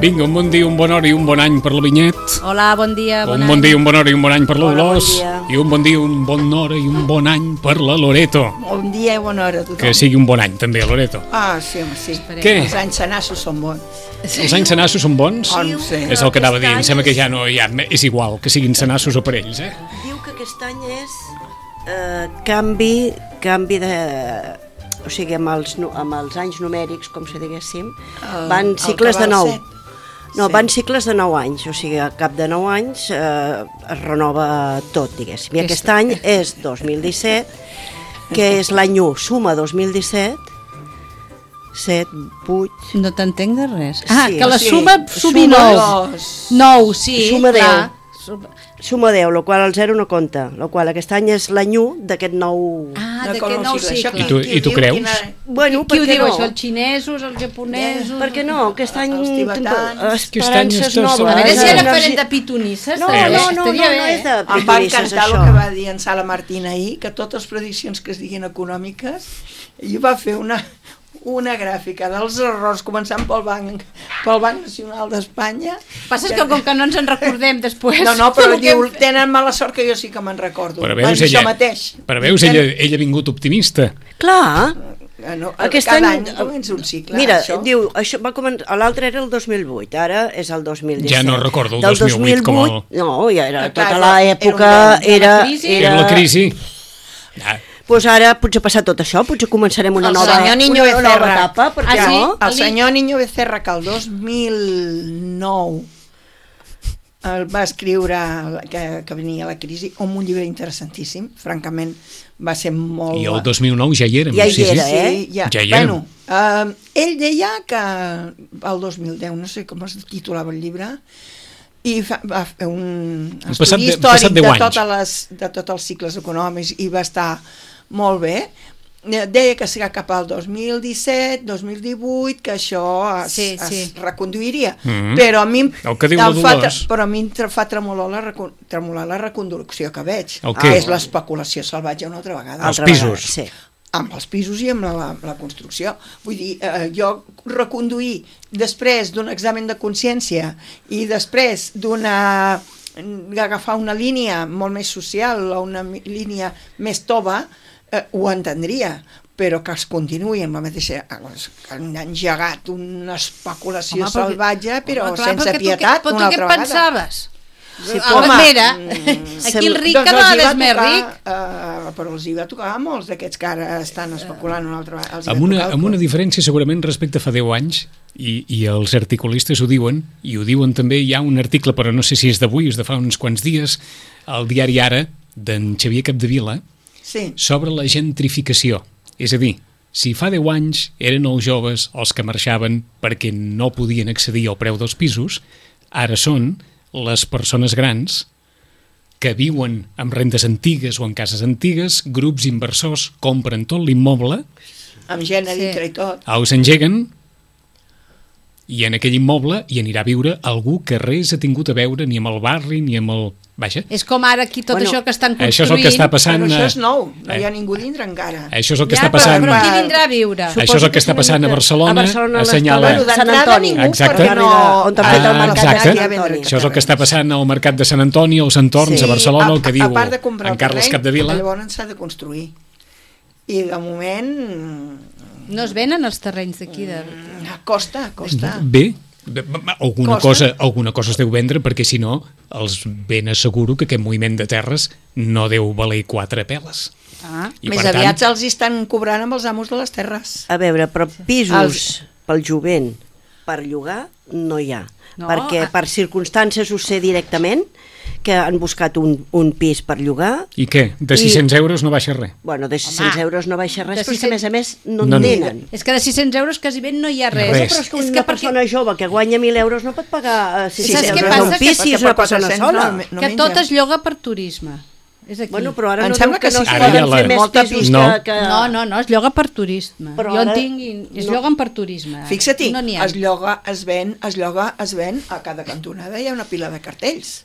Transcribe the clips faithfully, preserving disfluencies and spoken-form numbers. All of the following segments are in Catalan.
Vinga, un bon dia, un bon hora i un bon any per la Vinyet. Hola, bon dia, bon un any. bon dia, un bon hora i un bon any per la Dolors. Bon I un bon dia, un bon hora i un bon any per la Loreto. Bon dia i bona hora a tothom. Que sigui un bon any també, Loreto. Ah, sí, home, sí. Què? Els anys senassos són bons. Els anys senassos són bons? Oh, no sé. És el que anava a dir, em sembla que ja no hi ha, és igual que siguin senassos o parells, eh? Diu que aquest any és eh, canvi, canvi de... O sigui, amb els, nu- amb els anys numèrics, com si diguéssim, El- van el cicles que va de al nou. set. No, Sí. van cicles de nou anys, o sigui, al cap de nou anys eh, es renova tot, diguéssim. I aquest any és dos mil disset, que és l'any u, suma dos mil disset, set, vuit... No t'entenc de res. Ah, Sí, que la sí. suma sumi Suma nou. dos. Nou, sí, Suma clar. Suma- Suma deu, el qual el zero no compta, el qual aquest any és l'any u d'aquest nou... Ah, No, d'aquest com nou cicle. Això cicle. I tu- qui- qui i tu ho diu? creus? Quina- Bueno, Qui per ho què diu, no? això? Els xinesos, els japonesos... Per què no? Aquest any... Els tibetans. Aquest any Esperances estàs noves. sol- A veure si ara Energia- farem de pitonisses. No, també. no, no, no, Estaria no bé. és de Em va pitonisses, encantar el això. que va dir en Sala Martín ahir, que totes les prediccions que es diguin econòmiques, i va fer una, una gràfica dels errors, començant pel Banc, pel Banc Nacional d'Espanya. Passa que com que no ens en recordem després... No, no, però el que diu, hem fet. tenen mala sort que jo sí que me'n recordo. Però Van veus, dir ella, això mateix. però veus ella, ella ha vingut optimista. Clar, Eh, No, aquest cada any... any comença un cicle, Mira, això. diu, això va començar, l'altre era el dos mil vuit, ara és el dos mil disset. Ja no recordo el Del dos mil vuit com el- No, ja era Ah, clar, tota era- l'època, era era... un crisi. Era la crisi. Ah, Doncs ara potser ha passat tot això, potser començarem una El nova, senyor Niño una nova Becerra. etapa, per què Ah, sí? no? El senyor Niño Becerra, que el dos mil nou el va escriure que, que venia la crisi, amb un llibre interessantíssim, francament va ser molt... I el dos mil nou ja hi érem. Ja hi sí, sí. era, eh? Sí, ja. Ja hi érem. Bueno, uh, ell deia que el dos mil deu, no sé com es titulava el llibre, i fa, va fer un Han estudi passat de- històric passat de, deu anys. totes les, de tots els cicles econòmics i va estar molt bé. Deia que serà cap al dos mil disset, dos mil divuit, que això es, Sí, es sí. reconduiria. Mhm. Però a mi, em- El que diu em la fa, Dolors. però a mi em tre- fa tremolar la, recon- tremolar la reconducció que veig. El què? És l'especulació salvatge una altra vegada. Els Altra pisos. vegada, sí. Amb els pisos i amb la, la construcció. Vull dir, eh, jo reconduir després d'un examen de consciència i després d'una agafar una línia molt més social o una mi- línia més tova, eh, ho entendria, però que es continuï amb la mateixa... Han engegat una especulació Home, perquè- salvatge, però Home, clar, sense perquè tu pietat, què- però una tu què altra vegada. pensaves? Sí, Ah, home, mira, mm, aquí el ric doncs cada els hi vegada va és més tocar, ric. Uh, però els hi va tocar a molts d'aquests que ara estan especulant una altra vegada. Els hi va Amb una, tocar el amb una cor. diferència segurament respecte a fa deu anys, i, i els articulistes ho diuen, i ho diuen també, hi ha un article, però no sé si és d'avui, és de fa uns quants dies, al diari Ara, d'en Xavier Capdevila, Sí. sobre la gentrificació. És a dir, si fa deu anys eren els joves els que marxaven perquè no podien accedir al preu dels pisos, ara són les persones grans que viuen amb rendes antigues o en cases antigues, grups inversors compren tot l'immoble, Amb gent a Sí. dintre i tot. els engeguen i en aquell immoble hi anirà a viure algú que res ha tingut a veure ni amb el barri ni amb el... Vaja, És com ara aquí tot Bueno, això que estan construint. això és el que està passant... Però això és eh, nou, no hi ha eh, ningú dintre encara. Això és el que Ja, està però, passant... però qui vindrà a viure? Això és el que està passant a Barcelona, A Barcelona, assenyala- l'Estona, Bueno, Sant d'entrada Antoni. ningú, Exacte. perquè no... On t'ha fet el Ah, mercat exacte. de Sant Antoni. Això és el que està passant al mercat de Sant Antoni, als entorns Sí. a Barcelona, el que a, diu a part de comprar en Carles terreny, Capdevila. llavors s'ha de construir. I de moment No es venen els terrenys d'aquí. De... mm, costa, costa. Bé, Alguna cosa, alguna cosa es deu vendre, perquè si no, els ben asseguro que aquest moviment de terres no deu valer quatre peles. Ah, I més per tant- aviat els hi estan cobrant amb els amos de les terres. A veure, però pisos Els- pel jovent per llogar no hi ha. No, perquè a- per circumstàncies ho sé directament, que han buscat un, un pis per llogar. I què? De I- sis-cents euros no baixa res? Bueno, de sis-cents euros no baixa res, de però és que a més a més no, No en n'hi ha. tenen. És que de sis-cents euros quasi ben no hi ha res. Res. Però és que És una que persona jove que guanya mil euros no pot pagar eh, Saps sis-cents què euros passa? d'un Que- pis si és perquè una per persona quatre-cents sola. no- no que menja. tot es lloga per turisme. És aquí. Bueno, però ara Em no sembla diu que que no sí. es Ara poden ja la- fer més Molta pisos pista. No. que... que... No, no, no, es lloga per turisme. Però jo en ara tinc... i- Es no. lloguen per turisme. Fixa-t'hi, No n'hi ha. es lloga, es ven, es lloga, es ven, a cada cantonada hi ha una pila de cartells.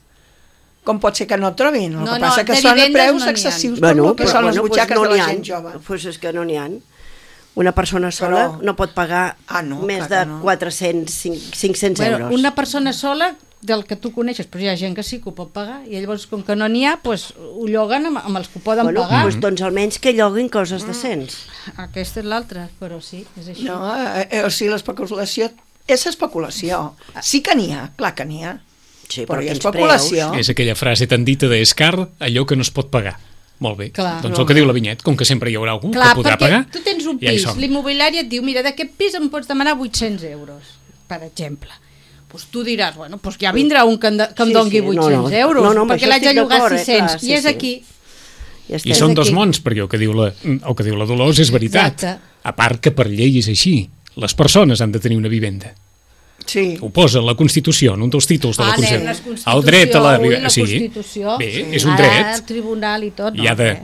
Com pot ser que no el trobin? El No, que no, passa que de són a vivendes preus no n'hi ha. excessius Bueno, per lo que però, són les bueno, pues butxaques no de n'hi la ha. gent jove. Pues és que no n'hi ha. Una persona sola Però- no pot pagar Ah, no, més clar de que no. quatre-cents, cinc-cents euros. Bueno, una persona sola del que tu coneixes, però hi ha gent que sí que ho pot pagar i llavors com que no n'hi ha, pues, ho lloguen amb, amb els que ho poden bueno, pagar. pues, doncs almenys que lloguin coses decents. Aquesta és l'altra, però sí, és així. No, eh, eh, o sigui, l'especulació és especulació. Sí que n'hi ha, clar que n'hi ha. Sí, Però però hi ha quins especulació. És aquella frase tan dita d'Escar, allò que no es pot pagar. Molt bé. Clar. Doncs el que diu la Vinyet, com que sempre hi haurà algú Clar, que podrà perquè pagar, tu tens un ja hi pis, som. l'immobiliari et diu, mira, d'aquest pis em pots demanar vuit-cents euros, per exemple. Pues tu diràs, bueno, pues ja vindrà un que em, de, que em Sí, doni sí, no, vuit-cents no. euros, No, no, amb perquè això l'haig de estic llogar d'acord, eh, sis-cents, clar, sí, i és sí. aquí. Ja I estem. són És dos aquí. mons, perquè el que diu la, el que diu la Dolors és veritat. Exacte. A part que per llei és així. Les persones han de tenir una vivenda. Sí. Ho posa la Constitució, en un dels títols de la Ah, nen, Constitució. la Constitució, El dret a la ui, vivenda. la Sí, Constitució. bé, Sí. és un Ara, dret. el tribunal i tot, no. I ha de, eh?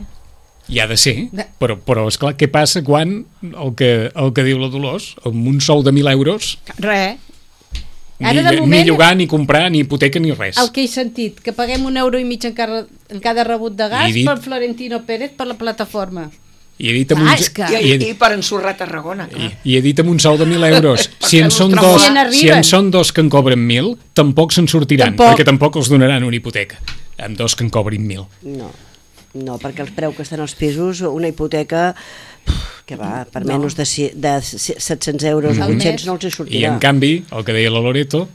hi ha de ser, De- però, però esclar, què passa quan el que, el que diu la Dolors, amb un sou de mil euros, Res. ni, Ara, de ni moment, llogar, ni comprar, ni hipoteca, ni res. el que he sentit, que paguem un euro i mig en cada, en cada rebut de gas I dit- per Florentino Pérez per la plataforma. I he dit amb Ah, un, és que- I, i, he, i per ensorrar Tarragona, clar. i, i he dit amb un sou de mil euros. Si en, Perquè són els dos, Si en arriben. si en són dos que en cobren mil, tampoc se'n sortiran, Tampoc. perquè tampoc els donaran una hipoteca. Amb dos que en cobrin mil. No, no, perquè el preu que estan els pisos, una hipoteca que va, per No. menys de, si- de set-cents euros o Al vuit-cents mes. no els hi I sortirà. en canvi, el que deia la Loreto,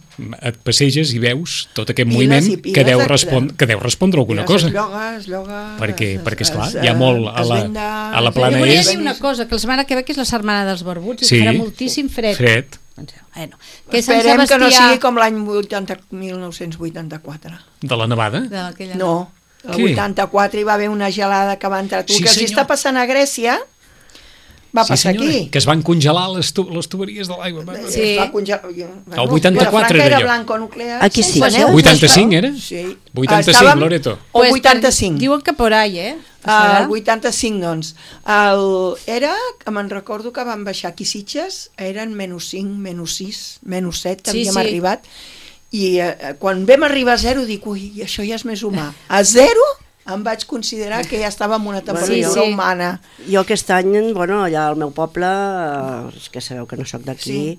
et passeges i veus tot aquest Piles moviment i piles que deu, de- respon que deu respondre alguna Es cosa. lloga, es lloga... Perquè, es- perquè esclar, es- hi ha molt a es la, ven de- a la Jo plana volia és... dir una cosa, que la setmana que ve que és la setmana dels barbuts i Sí. farà moltíssim fred. Fred. Bueno, que és Sant Esperem que no Sebastià... sigui com l'any vuitanta mil nou-cents vuitanta-quatre. De la nevada? D'aquella- No, el Què? vuitanta-quatre hi va haver una gelada que va entrar tu, Sí, que els senyor. està passant a Grècia, va Sí, passar senyora, aquí. que es van congelar les, tu les tuberies de l'aigua. Va. Sí. Es va congelar... Bueno, El vuitanta-quatre Vilafranca era era allò. blanco nuclear. Aquí sí. Sense neu. vuitanta-cinc era? Sí. vuitanta-cinc, Estàvem- Loreto. O Pues, vuitanta-cinc. Diuen que por ahí, eh? Ah, Serà? el vuitanta-cinc, doncs. El, era, que me'n recordo que van baixar aquí Sitges, eren menys cinc, menys sis, menys set, Sí, havíem sí. arribat, i eh, quan vam arribar a zero dic, ui, això ja és més humà. A zero em vaig considerar que ja estava en una temperatura Sí, sí. humana. Jo aquest any, bueno, allà al meu poble, eh, és que sabeu que no sóc d'aquí, Sí.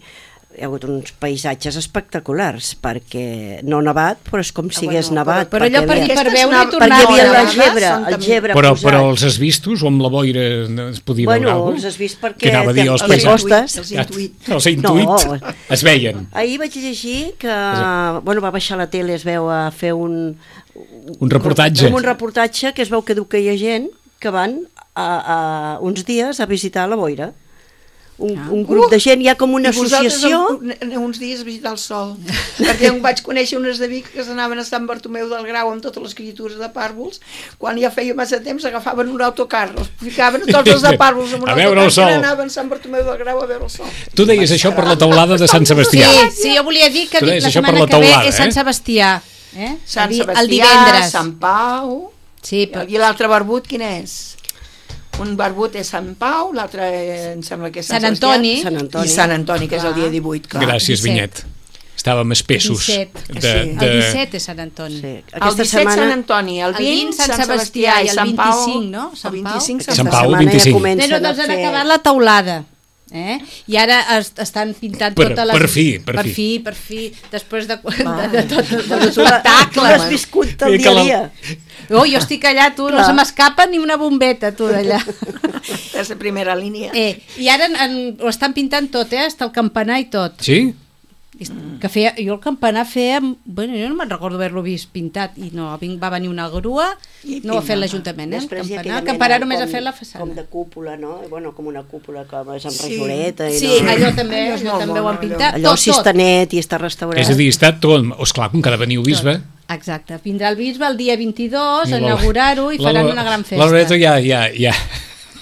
hi ha hagut uns paisatges espectaculars, perquè no ha nevat, però és com si Ah, hagués bueno, nevat. però allò perquè per- hi havia- per Aquestes veure i nav- tornar perquè hi havia a la nevades gebre, són el també- gebre Però, posat. però els has vistos o amb la boira no es podia Bueno, veure alguna els has vist perquè Que anava a dir els té- els les paisatges. costes. Els intuït. Els intuït. No. Es veien. Ahir vaig llegir que bueno, va baixar a la tele, es veu a fer un, Un reportatge. un reportatge que es veu que diu que hi ha gent que van a, a uns dies a visitar la boira. Un, Ah. un grup de gent, hi ha com una I vosaltres associació. an- aneu uns dies a visitar el sol. Perquè em vaig conèixer unes de Vic que s'anaven a Sant Bartomeu del Grau amb totes les criatures de pàrvols. Quan ja feia massa temps agafaven un autocar, els ficaven tots els de pàrvols amb un A veure autocar el sol. i anaven a Sant Bartomeu del Grau a veure el sol. Tu deies això per la teulada de Sant Sebastià. Sí, sí, jo volia dir que Tu deies la això per setmana la que ve teulada, és Sant eh? Sebastià. Eh? Sant el, di- Sebastià, el divendres. Sant Pau... Sí, però... I l'altre barbut quin és? Un barbut és Sant Pau, l'altre eh, em sembla que és Sant, Sant Antoni. Sebastià, Sant Antoni. i Sant Antoni, que és el Clar. dia divuit. Clar. Gràcies, disset. Vinyet. Estàvem espessos. disset. De, Sí. de... El disset és Sant Antoni. Sí. El Aquesta disset Sant setmana Antoni, el El vint vint Sant Sant Sebastià Sebastià i i el Sant Pau. vint-i-cinc, no? Sant El Pau. vint-i-cinc Sant Sant Pau, Pau. vint-i-cinc. comencen Però a doncs han fer... acabat la teulada. Eh? I ara es, estan pintant Per- totes les... per fi, per per fi. fi, per fi, després de, de, Va. de, de tot de Bueno, tu l'ha- tu l'has l'espectacle. viscut el I que dia a la- dia. Oh, jo estic allà, tu, no Clar. se m'escapa ni una bombeta, tu, d'allà. És la primera línia. Eh, I ara en, en, ho estan pintant tot, eh? Hasta el campanar i tot. Sí? que feia, jo el campanar feia, bueno, jo no me'n recordo haver-lo vist pintat, i no, va venir una grua, I no ho ha fet pintada. l'Ajuntament, eh? El Després hi ha campanar, aquella el campanar mena només ha com- fet la façana. Com de cúpula, no? Bueno, com una cúpula com és amb Sí. rajoleta. I Sí, no? allò també, Allò és allò molt també ho han mono, pintat, Allò tot, si està tot. net i està restaurat. És a dir, està tot... Esclar, com que ha de venir el bisbe... Exacte, vindrà el bisbe el dia vint-i-dos a la- inaugurar-ho i la- faran la- una gran festa. La Loreto ja... ja, ja...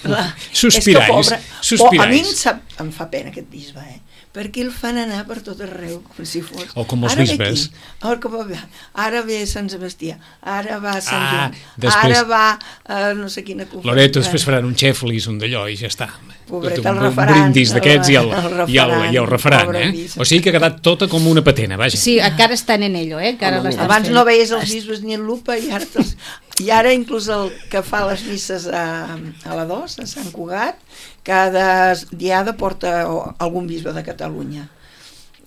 La- Sospirais, és que, pobre, sospirais. po- a mi em, sap, em fa pena aquest bisbe, eh? Perquè el fan anar per tot arreu, com si fos... O com els Ara ve bisbes. aquí, Ara, com va, ara ve Sant Sebastià, ara va Sant Ah, Joan, després- ara va uh, no sé quina conferència. Loreto després faran un xeflis, un d'allò, i ja està. Pobret, un, el un referent, brindis d'aquests i el, el- el i el, referent, i el referent, pobre eh? bisbe. O sigui que ha quedat tota com una patena, vaja. Sí, encara estan en ello, eh? Encara Home, l'estan Abans fent. no veies els bisbes ni en lupa i ara, te'ls- i ara inclús el que fa les misses a, a la dos, a Sant Cugat, cada diada porta o- algun bisbe de Catalunya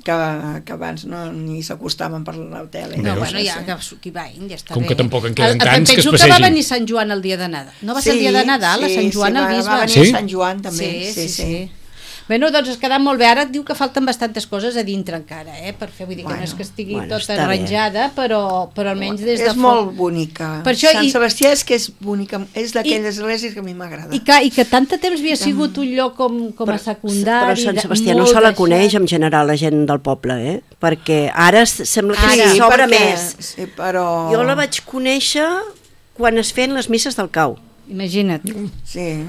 que, que abans no ni s'acostaven per la tele. No, Veus? bueno, ja que qui va, ja està Com bé. que tampoc en queden El- tants que es penso que passegin. va venir Sant Joan el dia de Nadal. No va ser el dia de Nadal, a Sant Joan sí, el va, bisbe? va venir Sí? a Sant Joan també. Sí, sí, sí. Bueno, doncs es quedat molt bé. Ara et diu que falten bastantes coses a dintre encara, eh? Per fer, vull dir que Bueno, no és que estigui bueno, tota està bé. arranjada, però, però almenys des de És molt bonica. Per això Sant i- Sebastià és que és bonica, és d'aquelles I- esglésies que a mi m'agrada. I que, I que tant de temps havia sigut un lloc com, com a secundari. Però Sant de- Sebastià no molt se la deixat. coneix en general la gent del poble, eh? Perquè ara s- sembla que Ara, sí, s'obre perquè- més. Sí, però... Jo la vaig conèixer quan es feien les misses del cau. Imagina't. Sí.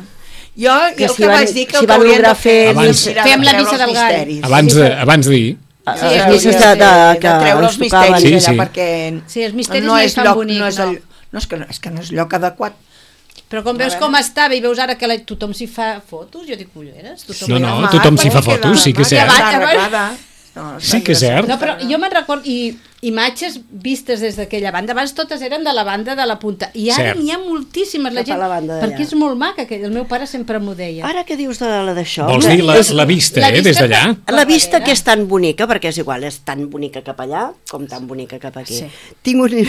Jo, Que jo el si que van- vaig dir que si el que van haurien lograr de fer fer és Abans- mirar Fem de la treure missa els del gall. misteris. Abans Sí, de, però- abans de dir... Ah, Sí, les hauria misses de, de, de, de que treure ens els misteris tocaven. Sí, allà, sí. perquè Sí, els misteris no no hi és fan lloc, bonic, no és, no. el, no, és que no, és que no és lloc adequat. Però com veus A com veure. estava i veus ara que la, tothom s'hi fa fotos, jo dic, ulleres, tothom No, hi no, va. tothom s'hi fa perquè fotos, sí que és va, cert. va, Abans- arreglada. No, Sí que és cert. No, però jo me'n recordo, i imatges vistes des d'aquella banda, abans totes eren de la banda de la punta, i ara Cert. n'hi ha moltíssimes, la Cap a gent, la banda d'allà. perquè és molt maca, aquell, el meu pare sempre m'ho deia. Ara que dius de la d'això... Vols que dir la, és- la vista, la eh, vista des d'allà? per- La vista darrere. que és tan bonica, perquè és igual, és tan bonica cap allà com tan bonica cap aquí. Sí. Tinc un,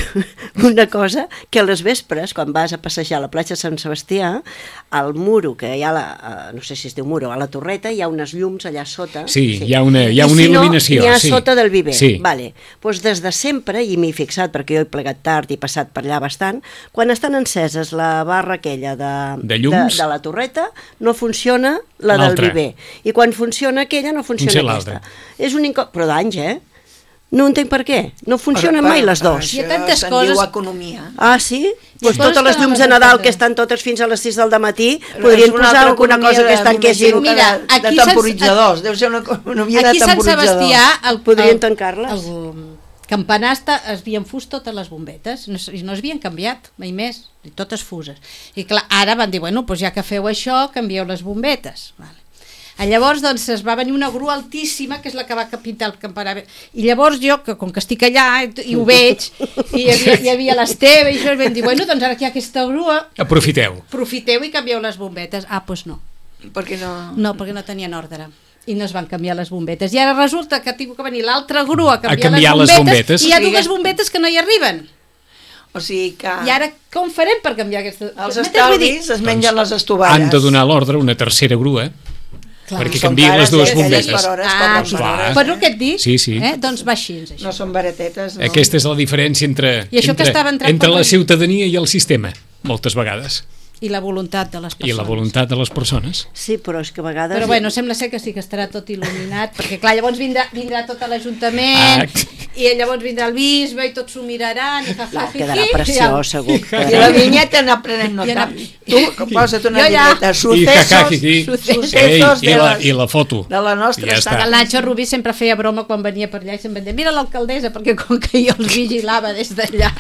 una cosa, que a les vespres, quan vas a passejar a la platja de Sant Sebastià, al muro, que hi ha, la, eh, no sé si es diu muro, a la torreta, hi ha unes llums allà sota. Sí, hi ha una, hi ha I una si no, il·luminació. n'hi ha sí. sota del viver. Sí. Vale. Pues des de sempre, i m'hi he fixat perquè jo he plegat tard i he passat per allà bastant, quan estan enceses la barra aquella de, De llums? de, de la torreta, no funciona la del L'altra. viver. I quan funciona aquella, no funciona Funciona aquesta. l'altra. És un inco... Però d'anys, eh? No entenc per què. No funcionen Per- mai per- les per dues. Hi ha això tantes se'n coses- diu economia. Ah, sí? Pues coses totes les que no llums les de Nadal entenc. que estan totes fins a les sis del matí És podrien una posar altra alguna economia cosa que de- estan que m'imagino és... que Mira, de, de aquí se'ns- temporitzadors, deu ser una economia de Aquí a Sant temporitzadors. Sebastià el, Podrien el, tancar-les. el campanar està, es havien fust totes les bombetes, no, s- i no es havien canviat mai més, i totes fuses, i clar, ara van dir, bueno, doncs ja que feu això, canvieu les bombetes, vale. A llavors doncs es va venir una grua altíssima, que és la que va pintar el campanar, i llavors jo, que com que estic allà i, i ho veig, i hi havia, hi havia l'Esteve i això, i vam dir, bueno, doncs ara que hi ha aquesta grua, Aprofiteu. aprofiteu i canvieu les bombetes. Ah, doncs no, Perquè no... no, perquè no tenien ordre i no es van canviar les bombetes, i ara resulta que ha tingut que venir l'altra grua a canviar, canviar les, les bombetes, bombetes. i hi ha O sigui, dues bombetes que no hi arriben. O sigui que I ara com farem per canviar aquestes? els M'entens? Vull dir, estalvis es mengen les estovalles. Han de donar l'ordre una tercera grua, clar, perquè Són canvien les cares, dues eh, aquelles bombetes. per hores, Ah, cobren sí. per hores. Clar. Per el que et dic, Sí, sí. eh? Doncs va així, això. No són baratetes, no. Aquesta és la diferència entre, I això que entre, estava entrant entre per la la- ciutadania i el sistema, moltes vegades. I la voluntat de les I persones. la voluntat de les persones. Sí, però és que a vegades... Però bueno, sembla ser que sí que estarà tot il·luminat, perquè clar, llavors vindrà, vindrà tot l'Ajuntament, Ah. i llavors vindrà el bisbe i tots s'ho miraran, i fa, fa, No, fi, quedarà fi, preciós, segur. I la vinyeta anar prenent I nota. anar- Tu, posa't una Jo ja. vinyeta. I Sucesos, cacaquiqui. sucesos Ei, de i, la, les- I la foto. de la nostra I ja estada. està. El Nacho Rubí sempre feia broma quan venia per allà i sempre deia, mira l'alcaldessa, perquè com que jo els vigilava des d'allà.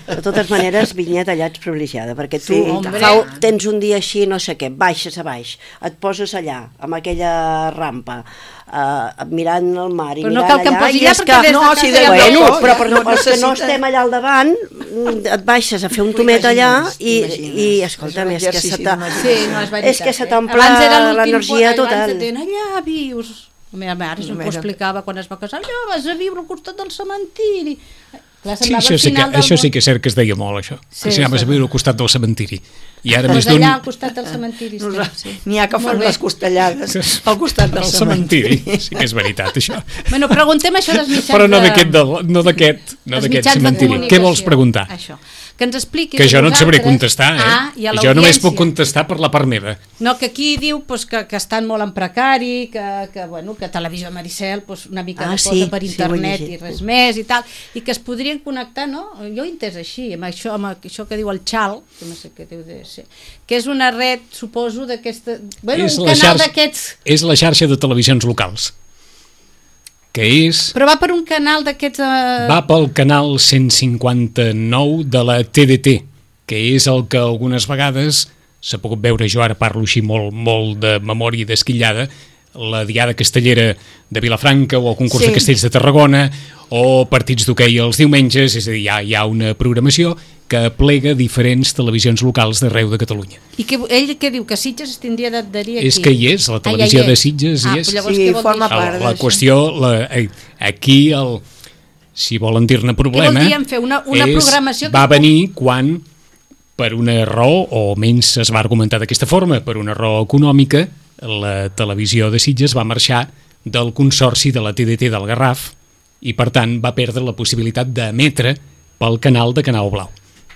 De totes maneres, vinyeta allà ets privilegiada, perquè tu Sí, hombre. fa, tens un dia així, no sé què, baixes a baix, et poses allà, amb aquella rampa, uh, mirant el mar i Però no mirant cal que em allà, posi i allà és perquè des de no, casa si ja de- em Bueno, no, però ja per no no, els que no necessita- estem allà al davant, mm, et baixes a fer un tomet allà i, T'imagines. i escolta'm, És un és que exercici se t'ha... d'imaginació. Sí, no és veritat. És que se eh? t'omple Abans era l'últim l'energia punt, total. Abans deien, allà vius. La meva mare sempre ho Mira. explicava quan es va casar, allò vas a viure al costat del cementiri. Clar, Sí, semblava això el sí, que, final del això món. sí que és cert que es deia molt, això. Sí, que s'anaves sí. a viure al costat del cementiri. I ara Doncs més d'un... allà al costat del cementiri estem, Nosaltres- sí. N'hi ha que fan Molt bé. les costellades al costat del el cementiri. cementiri. Sí que és veritat, això. Bueno, preguntem això dels mitjans Però no de- d'aquest del- no d'aquest no dels d'aquest mitjans de cementiri. Què comunicació. vols preguntar? Això. Que ens expliquis Que a jo no et sabré vosaltres- contestar, eh? Ah, i a jo només puc l'audiència. contestar per la part meva. No, que aquí diu pues, que, que estan molt en precari, que, que, bueno, que Televisió Maricel pues, una mica Ah, no sí, posa per sí, ho he internet llegit. i res més i tal, i que es podrien connectar, no? Jo ho he entès així, amb això, amb això que diu el Xal, que no sé què deu de ser, que és una red, suposo, d'aquesta... Bueno, és, un la canal xarxa, d'aquests... és la xarxa de televisions locals, que és... Però va per un canal d'aquests... Eh... Va pel canal cent cinquanta-nou de la T D T, que és el que algunes vegades s'ha pogut veure, jo ara parlo així molt, molt de memòria desquillada, la Diada Castellera de Vilafranca o el concurs Sí. de castells de Tarragona o partits d'hoquei els diumenges, és a dir, hi ha, hi ha una programació que plega diferents televisions locals d'arreu de Catalunya. I que, ell què diu? Que Sitges es tindria d'adherir aquí? És que hi és, la Ah, ja hi televisió és. de Sitges hi Ah, és. però llavors Sí, què vol dir forma això? part La, la d'això. qüestió, la, eh, aquí, el, si volen dir-ne problema, Què vol dir en fer una- una és, programació que va pugui- venir quan, per una raó, o almenys es va argumentar d'aquesta forma, per una raó econòmica, la televisió de Sitges va marxar del consorci de la T D T del Garraf i, per tant, va perdre la possibilitat d'emetre pel canal de Canal Blau,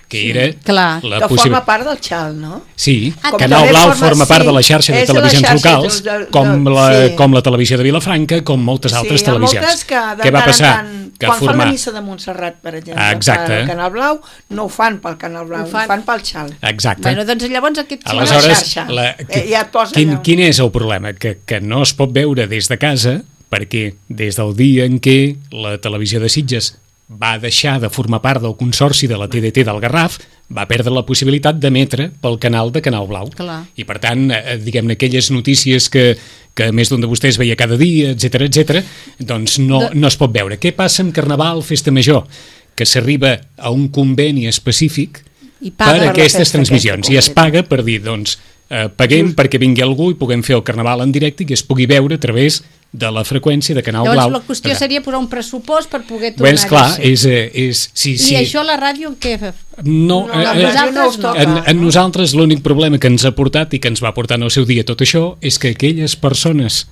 que era clar. la Que forma possibilitat... part del Xal, no? Sí, Ah, Canal també Blau forma- forma part sí, de la xarxa de és de la televisions xarxa locals, de- de- com, de- la, sí. com la televisió de Vilafranca, com moltes altres sí, hi ha televisions. moltes que de Què va tant en passar? tant, Que quan fan formar... la missa de Montserrat, per exemple, Ah, exacte. pel Canal Blau, no ho fan pel Canal Blau, Ho ho fan- fan, pel Xal. Exacte. Bueno, doncs llavors aquest... sí, Aleshores, la xarxa. la, Eh, ja et posa quin, allà. quin és el problema? Que, que no es pot veure des de casa perquè des del dia en què la televisió de Sitges va deixar de formar part del consorci de la T D T del Garraf, va perdre la possibilitat d'emetre pel canal de Canal Blau. Clar. I per tant, eh, diguem-ne, aquelles notícies que, que més d'un de vostès veia cada dia, etc etc, doncs no, De- no es pot veure. Què passa amb Carnaval, Festa Major? Que s'arriba a un conveni específic I per paga. a aquestes festa transmissions aquesta i es concreta. paga per dir, doncs, eh, paguem perquè vingui algú i puguem fer el Carnaval en directe i que es pugui veure a través de la freqüència de Canal Llavors Blau. la qüestió seria posar un pressupost per poder Bé, tornar és clar, a ser. és, eh, és, sí, I sí, això la ràdio què fa? no, No, eh, la eh, ràdio no us toca. en, en nosaltres l'únic problema que ens ha portat i que ens va portar en el seu dia tot això és que aquelles persones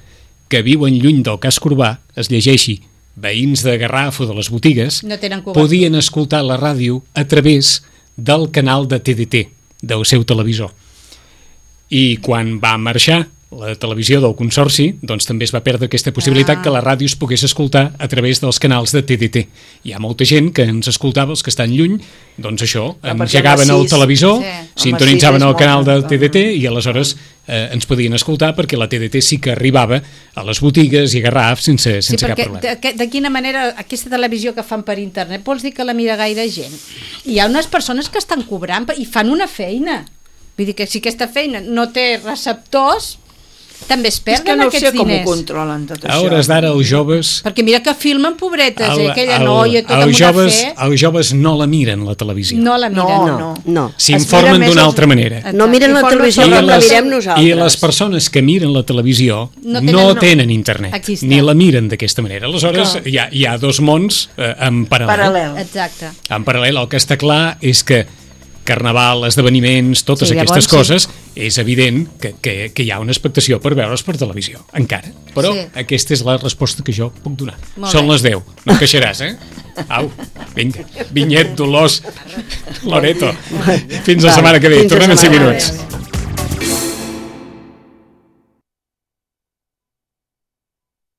que viuen lluny del casc urbà, es llegeixi veïns de Garraf o de les botigues, No tenen cobertura. podien escoltar la ràdio a través del canal de T D T, del seu televisor. I quan va marxar la televisió del Consorci, doncs també es va perdre aquesta possibilitat Ah. que la ràdio es pogués escoltar a través dels canals de T D T. Hi ha molta gent que ens escoltava, els que estan lluny, doncs això, Ah, perquè engegaven home, el sis- televisor, Sí. sintonitzaven Home, el sis és canal del molt, T D T home. i aleshores eh, ens podien escoltar perquè la T D T sí que arribava a les botigues i a Garraf sense, Sí, sense cap perquè problema. de, que- de quina manera aquesta televisió que fan per internet vols dir que la mira gaire gent? Hi ha unes persones que estan cobrant i fan una feina. Vull dir que si aquesta feina no té receptors, també es És que perden no sé aquests com ho diners. controlen tot A això. hores d'ara els joves... Perquè mira que filmen pobretes, el- eh? Aquella el- noia tota amb els una joves, fe. els joves no la miren, la televisió. No la miren. No, no. no. No. S'informen Es mira d'una més altra els- manera. No miren la I televisió forma- com la I les- mirem nosaltres. I les persones que miren la televisió No no tenen- tenen, no. tenen internet, Aquí està. ni la miren d'aquesta manera. Aleshores, Clar. hi ha, hi ha dos mons eh, en paral·lel. Paral·lel. Exacte. En paral·lel, el que està clar és que Carnaval, esdeveniments, totes Sí, aquestes llavors, coses, és evident que, que, que hi ha una expectació per veure's per televisió, encara. Però Sí. aquesta és la resposta que jo puc donar. Molt Són bé. les deu, no et queixaràs, eh? Au, vinga, Vinyet, Dolors, Loreto. Fins la Va, setmana que ve, fins la tornem en cinc setmana que minuts. ve.